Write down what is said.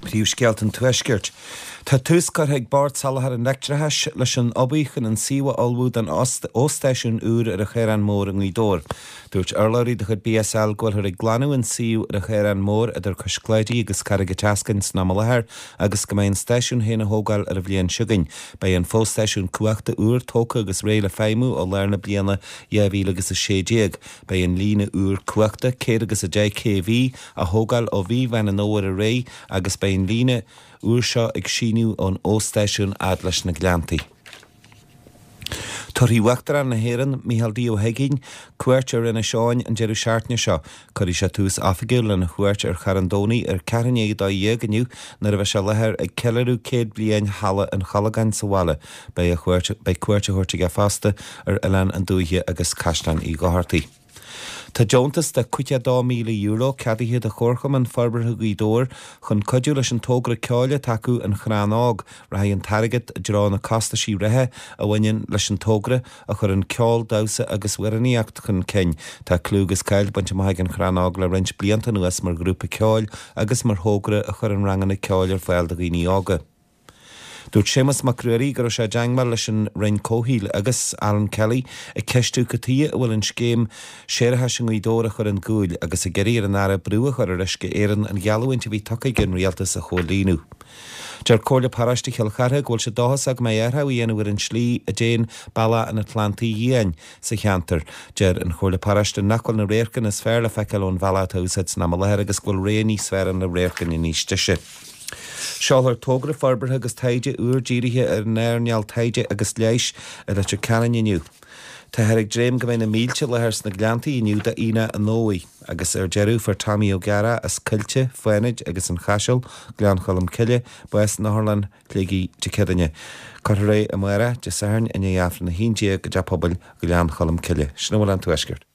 Príomhscéalta an Tuaiscirt. Tá tús curtha ag Bord Soláthair an Leictreachais leis an obair chun an suíomh a ullmhú don fhostáisiún úr ar an Chaorán Mór i nGaoth Dobhair. Dúirt urlabhraí de chuid BSL go bhfuilthear ag glanadh an suíomh ar an Chaorán Mór idir Cois Cláidí agus Carraig an tSeascainn san am i láthair agus go mbeidh an stáisiún féin á thógáil ar an bhliain seo chugainn. Beidh an fostáisiún cumhachta úr tógtha agus réidh le feidhmiú ó lár na bliana 2016. Beidh an líne úr cumhachta, 110 kV, á thógáil ó mhí Mheán an Fhómhair ar aghaidh agus beidh an líne úr seo ag síneadh ón fhostáisiún fhad leis na Gleanntaí. Tabharfaidh Uachtarán na hÉireann, Micheál D. Ó hUigínn, cuairt ar Inis Eoghain an deireadh seachtaine seo. Cuirfidh sé tús oifigiúil lena chuairt ar Charn Domhnaigh ar ceathrú i ndiaidh 12 inniu nuair a bheidh sé i láthair ag ceiliúradh 100 bliain Halla an Cholgáin sa bhaile. Beidh a chuairt beidh cuairt á thabhairt aige fosta ar Oileán an Dúiche agus Caisleán Uí Dhochartaigh. Tá deontas de €52,000 ceadaithe do Chomharchumann Forbartha Ghaoth Dobhair chun cuidiú leis an togra ceoil atá acu, An Crann Óg. Rachaidh an t-airgead i dtreo na costaisí reatha a bhaineann leis an togra, a chuireann ceol, damhsa agus amhránaíocht chun cinn. Tá clú agus cáil bainte amach ag An Crann Óg le roinnt blianta anuas mar ghrúpa ceoil agus mar thogra a chuireann ranganna ceoil ar fáil do dhaoine óga. Dúirt Séamus Mac Ruairí go raibh sé i dteangmháil leis an Roinn Comhshaoil agus Alan Kelly ag ceistiú cad tuighe a bhfuil an scéim séarachais i nGaoth Dobhair á chur chun cúil agus ag iarraidh ar an Aire brú a chur ar Uisce Éireann an gheallúint a bhí tugtha ag an Rialtas a chomhlíonadh. Deir Comhairle Paróiste Chill Chartha go bhfuil siad dóchasach go mbeidh athrú á dhéanamh ar an tslí a dtéann bealach an Atlantaigh Fhiáin sa cheantar. Deir an Chomhairle Paróiste nach bhfuil na radharcanna is fearr le feiceáil ón bhealach atá á úsáid san am i láthair agus go bhfuil rogha níos fearr ann le radharcanna níos deise. Seolfar togra forbartha agus taighde úr dírithe ar an earnáil taighde agus leighis i Leitir Ceanainn inniu. Táthar ag dréim go mbeidh na mílte i láthair sna Gleanntaí inniu d'Aonach an Fhómhair. Agus ar deireadh, fuair Tommy Ó Geará as Coillte, Fánaid agus an Chaiseal, Gleann Cholm Cille, bás in Otharlann Shligigh Dé Céadaoine. Cuirfear é amárach, Dé Sathairn, i ndiaidh Aifreann a 11 i dTeach Pobail Ghleann Cholm Cille. Sin a bhfuil ón Tuaisceart.